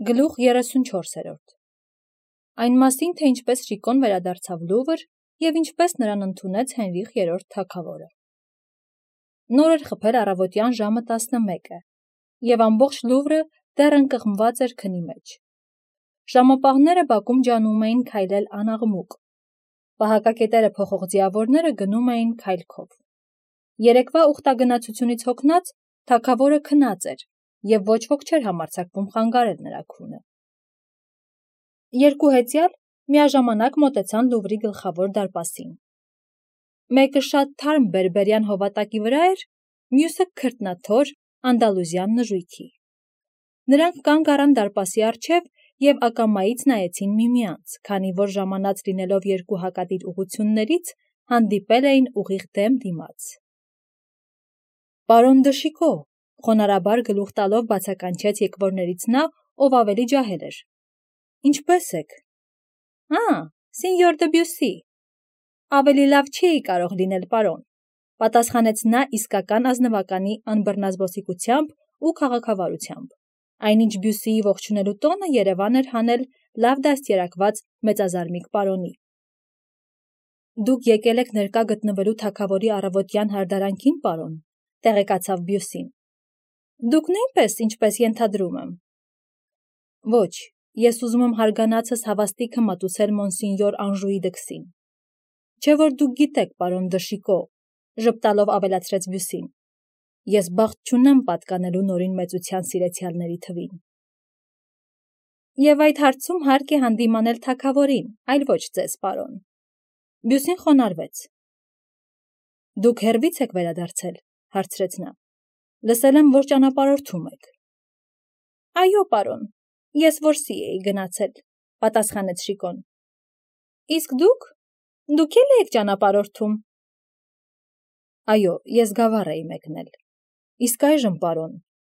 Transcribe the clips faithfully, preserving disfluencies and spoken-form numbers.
Գլուխ երեսունչորսերորդ Այն մասին, թե ինչպես Շիկոն վերադարձավ Լուվր և ինչպես նրան ընդունեց Հենրիխ երրորդ թագավորը։ Նոր էր խփել առավոտյան ժամը տասնմեկը, և ամբողջ Լուվրը դեռ ընկղմված էր քնի մեջ։ Ժամապահները բակում ջանում էին քայլել անաղմուկ։ Պահակակետերը փոխող ձիավորները գնում էին քայլքով։ Երեկվա ուխտագնացությունից հոգնած թագավորը քնած էր, և ոչ ոք չէր համարձակվում խանգարել նրա քունը։ Երկու հեծյալ միաժամանակ մոտեցան Լուվրի գլխավոր դարպասին։ Մեկը շատ թարմ բերբերյան հովատակի վրա էր, մյուսը քրտնաթոր անդալուզյան նժույգի։ Նրանք կանգ առան դարպասի առջև և ակամայից նայեցին միմյանց, քանի որ ժամանած լինելով երկու հակադիր ուղղություններից, հանդիպել էին ուղիղ դեմ դիմաց։ Պարոն դը Շիկո, խոնարհաբար գլուխ տալով բացականչեց եկվորներից նա, ով ավելի ջահել էր։ Ինչպե՞ս եք։ Ա, սինյոր դը Բյուսի։ Ավելի լավ չէի կարող լինել, պարոն, պատասխանեց նա իսկական ազնվականի անբռնազբոսիկությամբ ու քաղաքավարությամբ։ Այնինչ Բյուսիի ողջունելու տոնը երևան էր հանել լավ դաստիարակված մեծազարմիկ պարոնի։ Դուք եկել եք ներկա գտնվելու թագավորի առավոտյան հարդարանքին, պարոն, տեղեկացավ Բյուսին։ Դուք նույնպես, ինչպես ենթադրում եմ։ Ոչ, ես ուզում եմ հարգանացս հավաստիքը մատուցել մոնսինյոր Անժուի դքսին։ Չէ որ դուք գիտեք, պարոն դը Շիկո, ժպտալով ավելացրեց Բյուսին, ես բախտ չունեմ պատկանելու նորին մեծության սիրեցյալների թվին։ Եվ այդ հարցում հարկ է հանդիմանել թագավորին, այլ ոչ ձեզ, պարոն։ Բյուսին խոնարհվեց։ Դուք հեռվի՞ց եք վերադարձել, հարցրեց նա։ Լսել եմ, որ ճանապարհորդում եք։ Այո, պարոն, ես որսի էի գնացել, պատասխանեց Շիկոն։ Իսկ դուք, դուք էլ եք ճանապարհորդում։ Այո, ես գավառ էի մեկնել։ Իսկ այժմ, պարոն,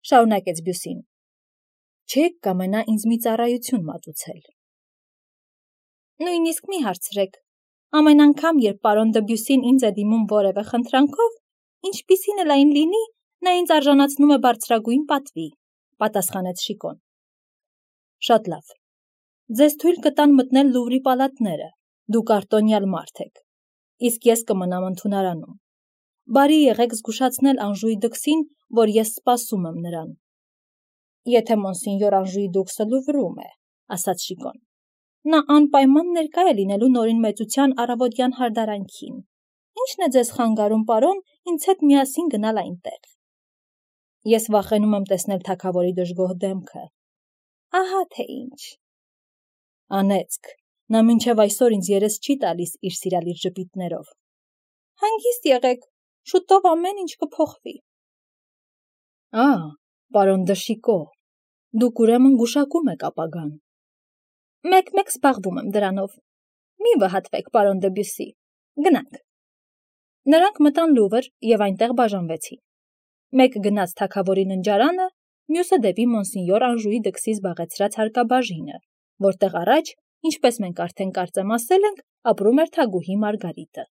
շարունակեց Բյուսին, չեք կամենա ինձ մի ծառայություն մատուցել։ Նույնիսկ մի հարցրեք։ Ամեն անգամ, երբ պարոն դը Բյուսին ինձ է դիմում որևէ խնդրանքով, ինչպիսին էլ այն լինի, նա ինձ արժանացնում է բարձրագույն պատվի, պատասխանեց Շիկոն։ Շատ լավ։ Ձեզ թույլ կտան մտնել Լուվրի պալատները, դուք արտոնյալ մարդ եք, իսկ ես կմնամ ընդունարանում։ Բարի եղեք զգուշացնել Անժուի դքսին, որ ես սպասում եմ նրան։ Եթե մոնսինյոր Անժուի դուքսը Լուվրում է, ասաց Շիկոն, նա անպայման ներկա է լինելու նորին մեծության առավոտյան հարդարանքին։ Ի՞նչն է ձեզ խանգարում, պարոն, ինձ հետ միասին գնալ այնտեղ։ Ես վախենում եմ տեսնել թագավորի դժգոհ դեմքը։ Ահա թե ինչ։ Անեծք, նա մինչև այսօր ինձ երես չի տալիս իր սիրալիր ժպիտներով։ Հանգիստ եղեք, շուտով ամեն ինչ կփոխվի։ Ա, պարոն դը Շիկո, դուք ուրեմն գուշակում եք ապագան։ Մեկ-մեկ զբաղվում եմ դրանով։ Մի վհատվեք, պարոն դը Բյուսի, գնանք։ Նրանք մտան Լուվր և այնտեղ բաժանվեցին։ Մեկը գնաց թագավորի ննջարանը, մյուսը դեպի մոնսինյոր Անժուի դքսի զբաղեցրած հարկաբաժինը, որտեղ առաջ, ինչպես մենք արդեն կարծեմ ասել ենք, ապրում էր թագուհի Մարգարիտը։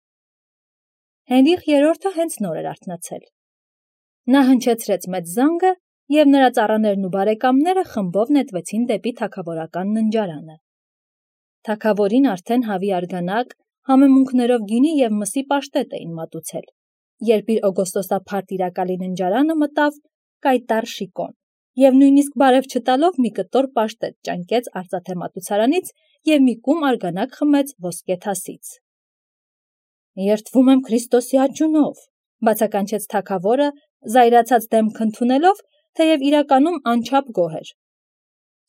Հենրիխ երրորդը հենց նոր էր արթնացել։ Նա հնչեցրեց մեծ զանգը, և նրա ծառաներն ու բարեկամները խմբով նետվեցին դեպի թագավորական ննջարանը։ Թագավորին արդեն հավի արգանակ, համեմունքներով գինի և մսի պաշտետ էին մատուցել, երբ իր օգոստոսափար տիրակալի ննջարանը մտավ կայտառ Շիկոն, և նույնիսկ բարև չտալով մի կտոր պաշտետ ճանկեց արծաթե մատուցարանից և մի կում արգանակ խմեց ոսկե թասից։ Երդվում եմ Քրիստոսի աճյունով, բացականչեց թագավորը, զայրացած դեմք ընդունելով, թեև իրականում անչափ գոհ էր։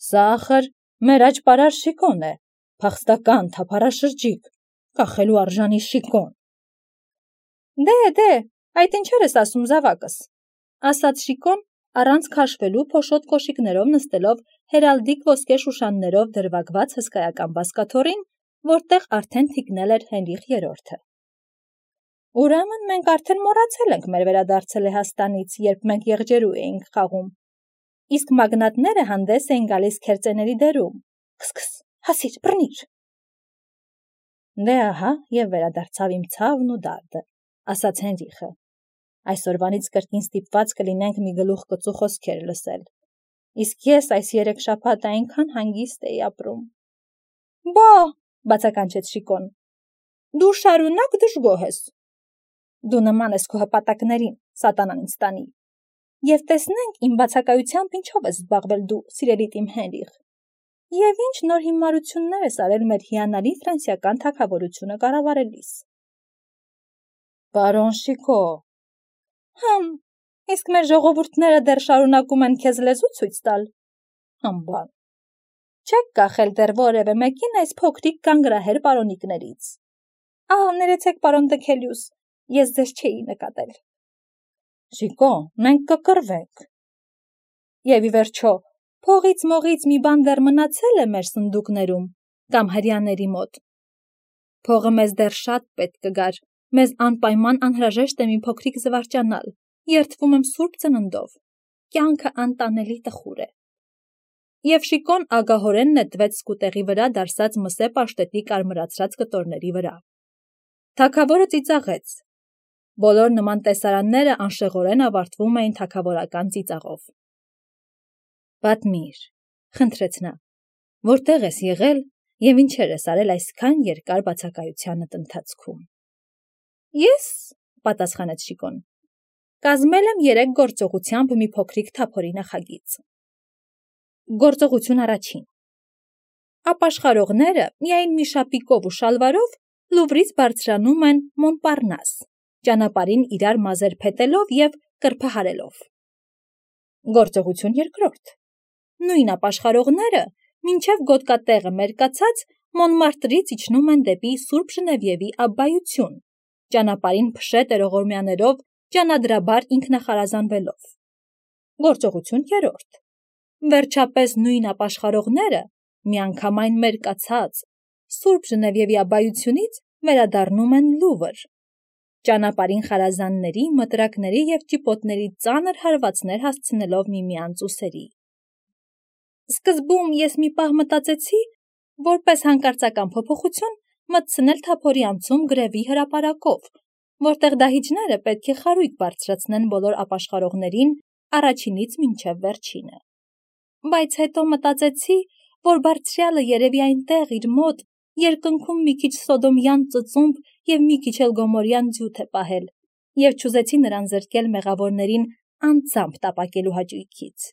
Սա ախր մեր աճպարար Շիկոն է, փախստական, թափառաշրջիկ, կախելու արժանի Շիկոն։ Դե, դե, այդ ինչեր ես ասում զավակս, ասաց Շիկոն, առանց քաշվելու փոշոտ կոշիկներով նստելով հերալդիկ ոսկե շուշաններով դրվագված հսկայական բազկաթոռին, որտեղ արդեն թիկնել էր Հենրիխ երրորդը։ Ուրեմն մենք արդեն մոռացել ենք մեր վերադարձը Լեհաստանից, երբ մենք եղջերու էինք խաղում, իսկ մագնատները հանդես էին գալիս քերծեների դերում, քս-քս, հասիր, բռնիր։ Դե ահա և վերադարձավ իմ ցավն ու դարդը, ասաց Հենրիխը։ Այսօրվանից կրկին ստիպված կլինենք մի գլուխ կծու խոսքեր լսել։ Իսկ ես այս երեք շաբաթ այնքան հանգիստ էի ապրում։ Բա, բացականչեց Շիկոն, դու շարունակ դժգոհ ես։ Դու նման ես քո հպատակներին, սատանան ինձ տանի։ Եվ տեսնենք իմ բացակայությամբ ինչով ես զբաղվել դու, սիրելիդ իմ Հենրիխ։ Եվ ինչ նոր հիմարություններ ես արել մեր հիանալի ֆրանսիական թագավորությունը կառավարելիս։ Պարոն Շիկո։ Հմ, իսկ մեր ժողովուրդները դեռ շարունակում են քեզ լեզու ցույց տալ։ Հմբան։ Չեք կախել դեռ որևէ մեկին այս փոքրիկ կանգրահեր պարոնիկներից։ Ահա, ներեցեք, պարոն Դքելյուս, ես ձեզ չէի նկատել։ Շիկո, մենք կկռվենք։ Եվ ի վերջո, փողից մողից մի բան դեռ մնացել է մեր սնդուկներում կամ հրյաների մոտ։ Փողը մեզ դեռ շատ պետք կգար, մեզ անպայման անհրաժեշտ է մի փոքրիկ զվարճանալ, երդվում եմ սուրբ ծննդով, կյանքը անտանելի տխուր է։ Եվ Շիկոն ագահորեն նետվեց սկուտեղի վրա դարսած մսե պաշտետի կարմրացրած կտորների վրա։ Թագավորը ծիծաղեց։ Բոլոր նման տեսարանները անշեղորեն ավարտվում էին թագավորական ծիծաղով։ Պատմիր, խնդրեց նա, որտեղ ես եղել և ինչեր ես արել այսքան երկար բացակայությանդ ընթացքում։ Ես, պատասխանեց Շիկոն, կազմել եմ երեք գործողությամբ մի փոքրիկ թափորի նախագիծ։ Գործողություն առաջին։ Ապաշխարողները միայն մի շապիկով ու շալվարով Լուվրից բարձրանում են Մոնպարնաս, ճանապարհին իրար մազեր փետելով և կրփահարելով։ Գործողություն երկրորդ։ Նույն ապաշխարողները մինչև գոտկատեղը մերկացած Մոնմարտրից իջնում են դեպի Սուրբ Ժնևիևի աբբայություն, ճանապարհին փշե տերողորմյաներով ճանադրաբար ինքնախարազանվելով։ Գործողություն երրորդ։ Վերջապես նույն ապաշխարողները միանգամայն մերկացած Սուրբ Ժնևիևի աբբայությունից վերադառնում են Լուվր, ճանապարհին խարազանների, մտրակների և ճիպոտների ծանր հարվածներ հասցնելով միմյանց ուսերի։ Սկզբում ես մի պահ մտածեցի, որպես հանկարծական փոփոխություն մտցնել թափորի անցում գրևի հրապարակով, որտեղ դահիճները պետք է խարույկ բարձրացնեն բոլոր ապաշխարողներին առաջինից մինչև վերջինը։ Բայց հետո մտածեցի, որ բարձրյալը երևի այնտեղ իր մոտ երկնքում մի քիչ սոդոմյան ծծումբ և մի քիչ էլ գոմորյան ձյութ է պահել, և չուզեցի նրան զրկել մեղավորներին անձամբ տապակելու հաճույքից։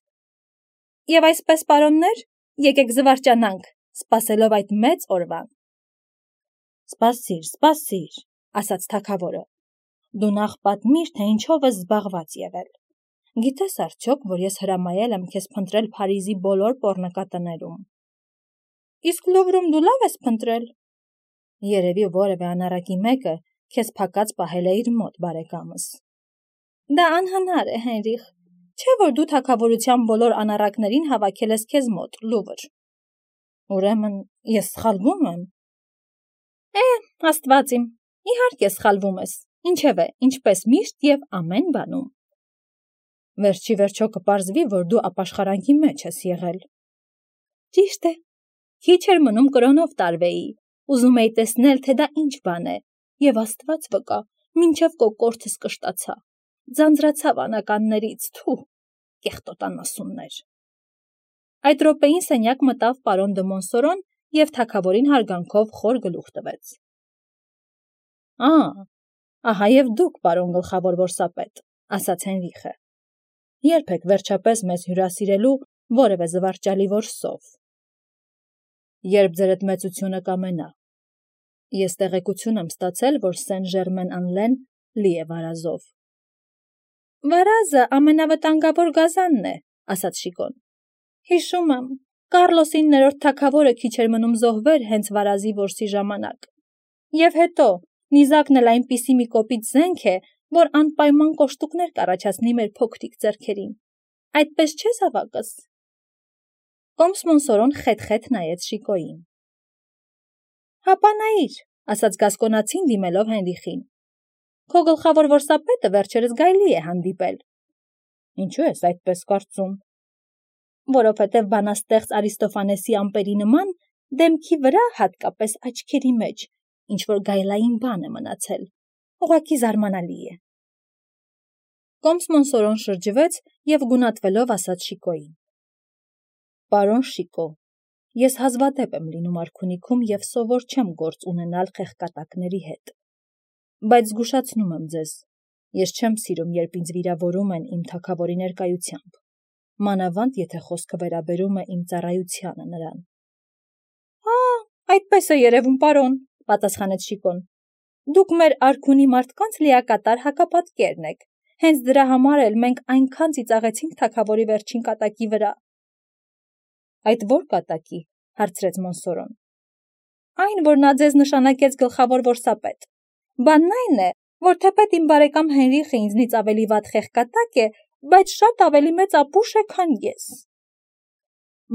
Եվ այսպես, պարոններ, եկեք զվարճանանք, սպասելով այդ մեծ օրվան։ Սպասիր, սպասիր, ասաց թագավորը, դու նախ պատմիր, թե ինչով ես զբաղված եղել։ Գիտես արդյոք, որ ես հրամայել եմ քեզ փնտրել Փարիզի բոլոր պոռնկատներում։ Իսկ Լուվրում դու լավ ես փնտրել։ Երևի որևէ անառակի մեկը քեզ փակած պահել է իր մոտ, բարեկամս։ Դա անհնար է, Հենրիխ, չէ՞ որ դու թագավորության բոլոր անառակներին հավաքել ես քեզ մոտ, Լուվր։ Ուրեմն ես սխալվում եմ։ Է, Աստված իմ, իհարկե սխալվում ես, ինչևէ, ինչպես միշտ և ամեն բանում։ Վերջի վերջո կպարզվի, որ դու ապաշխարանքի մեջ ես եղել։ Ճիշտ է, քիչ էր մնում կրոնով տարվեի, ուզում էի տեսնել, թե դա ինչ բան է, և Աստված վկա, մինչև կոկորդս կշտացա, ձանձրացավ անականներից, թու, կեղտոտ անասուններ։ Այդ րոպեին սենյակ մտավ պարոն դը Մոնսորոն և թագավորին հարգանքով խոր գլուխ տվեց։ Ա, ահա և դուք, պարոն գլխավոր որսապետ, ասաց Հենրիխը։ Երբ եք վերջապես մեզ հյուրասիրելու որևէ զվարճալի որսով։ Երբ ձերդ մեծությունը կամենա։ Ես տեղեկություն եմ ստացել, որ Սեն-Ժերմեն-Ան-Լեն լի է վարազով։ Վարազը ամենավտանգավոր գազանն է, ասաց Շիկոն։ Հիշում եմ, Կառլոս իններորդ թագավորը քիչ էր մնում զոհվեր հենց վարազի որսի ժամանակ։ Եվ հետո, նիզակն էլ այնպիսի մի կոպիտ զենք է, որ անպայման կոշտուկներ կառաջացնի մեր փոքրիկ ձեռքերին։ Այդպես չէ՞, զավակս։ Կոմս Մոնսորոն խետ-խետ նայեց Շիկոյին։ Հապա նայիր, ասաց գասկոնացին դիմելով Հենրիխին։ Քո գլխավոր որսապետը վերջերս գայլի է հանդիպել։ Ինչու ես այդպես կարծում։ Որովհետև բանաստեղծ Արիստոֆանեսի ամպերի նման դեմքի վրա, հատկապես աչքերի մեջ, ինչ-որ գայլային բան է մնացել, ուղղակի զարմանալի է։ Կոմս Մոնսորոն շրջվեց և գունատվելով ասաց Շիկոյին. Պարոն Շիկո, ես հազվադեպ եմ լինում արքունիքում և սովոր չեմ գործ ունենալ խեղկատակների հետ, բայց զգուշացնում եմ ձեզ, ես չեմ սիրում, երբ ինձ վիրավորում են իմ թագավորի ներկայությամբ, մանավանդ եթե խոսքը վերաբերում է իմ ծառայությանը նրան։ Հա, այդպես է երևում, պարոն, պատասխանեց Շիկոն։ Դուք մեր արքունի մարդկանց լիակատար հակապատկերն եք, հենց դրա համար էլ մենք այնքան ծիծաղեցինք թագավորի վերջին կատակի վրա։ Այդ ո՞ր կատակի, հարցրեց Մոնսորոն։ Այն, որ նա ձեզ նշանակեց գլխավոր որսապետ։ Բանն այն է, որ թեպետ իմ բարեկամ Հենրիխը ինձնից ավելի վատ խեղկատակ է, բայց շատ ավելի մեծ ապուշ է, քան ես։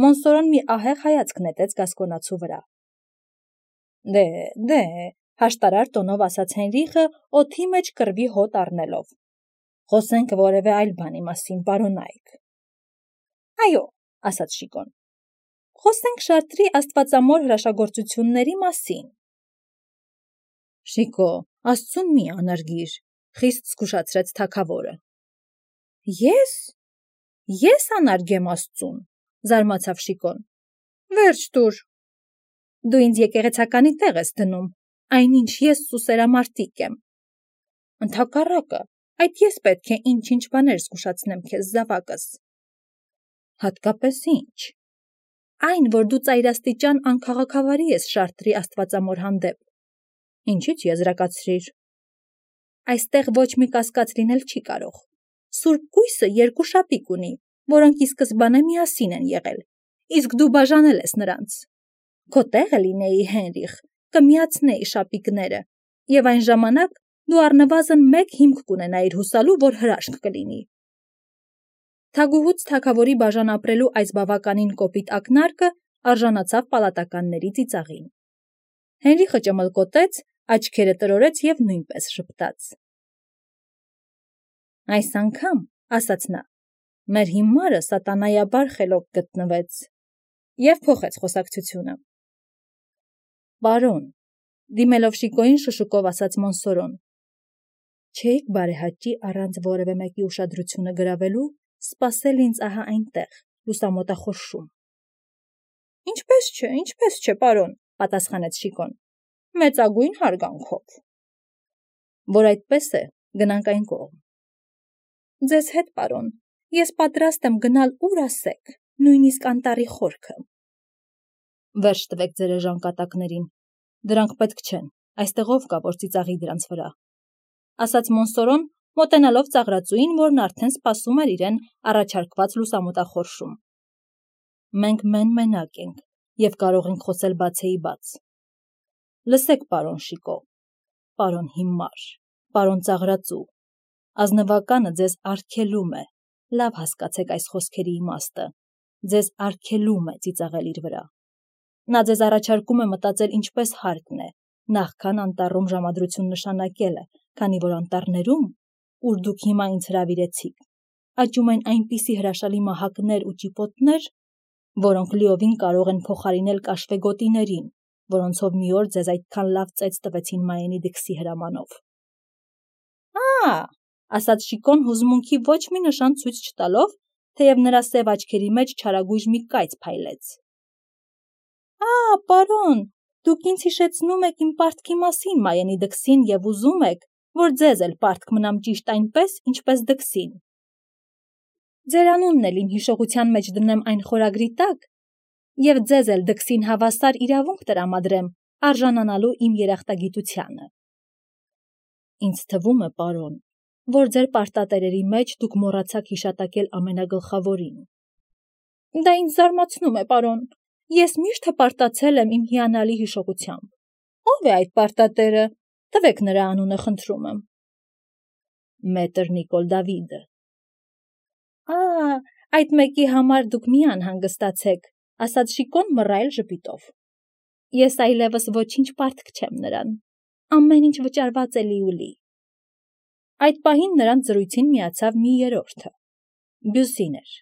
Մոնսորոն մի ահեղ հայացք նետեց գասկոնացու վրա։ Դե, դե, հաշտարար տոնով ասաց Հենրիխը, օդի մեջ կռվի հոտ առնելով։ Խոսենք որևէ այլ բանի մասին, պարոն Այք։ Այո, ասաց Շիկոն։ Խոսենք Շարտրի աստվածամոր հրաշագործությունների մասին։ Շիկո, աստծուն մի անարգիր, խիստ զգուշացրեց թագավորը։ Ես? Ես անարգեմ աստծուն, զարմացավ Շիկոն։ Վերջ տուր։ Դու ինձ եկեղեցականի տեղ ես դնում, այնինչ ես սուսերամարտիկ եմ։ Ընդհակառակը, այդ ես պետք է ինչ-ինչ բաներ զգուշացնեմ քեզ զավակս։ Հատկապես ինչ։ Այն, որ դու ծայրաստիճան անքաղաքավարի ես Շարտրի աստվածամոր հանդեպ։ Ինչից եզրակացրիր։ Այստեղ ոչ մի կասկած լինել չի կարող։ Սուրբ կույսը երկու շապիկ ունի, որոնք ի սկզբանե միասին են եղել, իսկ դու բաժանել ես նրանց։ Քո տեղը լինեի Հենրիխ, կմիացնեի շապիկները, և այն ժամանակ դու առնվազն մեկ հիմք կունենայիր հուսալու, որ հրաշք կլինի։ Թագուհուց թագավորի բաժան ապրելու այս բավականին կոպիտ ակնարկը արժանացավ պալատականների ծիծաղին։ Հենրիխը ճմլկոտեց, աչքերը տրորեց և նույնպես ժպտաց։ Այս անգամ, ասաց նա, մեր հիմարը սատանայաբար խելոք գտնվեց և փոխեց խոսակցությունը։ Պարոն, դիմելով Շիկոյին շշուկով ասաց Մոնսորոն, չէիք բարեհաճի առանց որևէ մեկի ուշադրությունը գրավելու սպասել ինձ ահա այնտեղ, լուսամոտախորշում։ Ինչպես չէ, ինչպես չէ, պարոն, պատասխանեց Շիկոն, մեծագույն հարգանքով։ Որ այդպես է, գնանք այն կողմ։ Ձեզ հետ, պարոն, ես պատրաստ եմ գնալ ուր ասեք, նույնիսկ անտառի խորքը։ Վերջ տվեք ձեր էժան կատակներին, դրանք պետք չեն, այստեղ ով կա, որ ծիծաղի դրանց վրա, ասաց Մոնսորոն, մոտենալով ծաղրածուին, որն արդեն սպասում էր իրեն առաջարկված լուսամոտախորշում։ Մենք մեն-մենակ ենք և կարող ենք խոսել բացեի բաց։ Լսեք, պարոն Շիկո, պարոն հիմար, պարոն ծաղրածու, ազնվականը ձեզ արգելում է, լավ հասկացեք այս խոսքերի իմաստը, ձեզ արգելում է ծիծաղել իր վրա։ Նա ձեզ առաջարկում է մտածել ինչպես հարկն է, նախքան անտառում ժամադրություն նշանակելը, քանի որ անտառներում, ուր դուք հիմա ինձ հրավիրեցիք, աճում են այնպիսի հրաշալի մահակներ ու ճիպոտներ, որոնք լիովին կարող են փոխարինել կաշվեգոտիներին, որոնցով մի օր ձեզ այդքան լավ ծեծ տվեցին Մայենի դքսի հրամանով։ Ա, ասաց Շիկոն հուզմունքի ոչ մի նշան ցույց չտալով, թեև նրա սև աչքերի մեջ չարագույժ մի կայծ փայլեց։ Ա, պարոն, դուք ինձ հիշեցնում եք իմ պարտքի մասին Մայենի դքսին և ուզում եք, որ ձեզ էլ պարտք մնամ ճիշտ այնպես, ինչպես դքսին։ Ձեր անունն էլ իմ հիշողության մեջ դնեմ այն խորագրի տակ, և ձեզ էլ դքսին հավասար իրավունք տրամադրեմ արժանանալու իմ երախտագիտությանը։ Ինձ թվում է, պարոն, որ ձեր պարտատերերի մեջ դուք մոռացաք հիշատակել ամենագլխավորին։ Դա ինձ զարմացնում է, պարոն, ես միշտ հպարտացել եմ իմ հիանալի հիշողությամբ։ Ո՞վ է այդ պարտատերը, տվեք նրա անունը, խնդրում եմ։ Մետր Նիկոլ Դավիդը։ Ա, այդ մեկի համար դուք մի անհանգստացեք, ասաց Շիկոն մռայլ ժպիտով։ Ես այլևս ոչինչ պարտք չեմ նրան, ամեն ինչ վճարված է լիուլի։ Այդ պահին նրանց զրույցին միացավ մի երրորդը։ Բյուսին էր։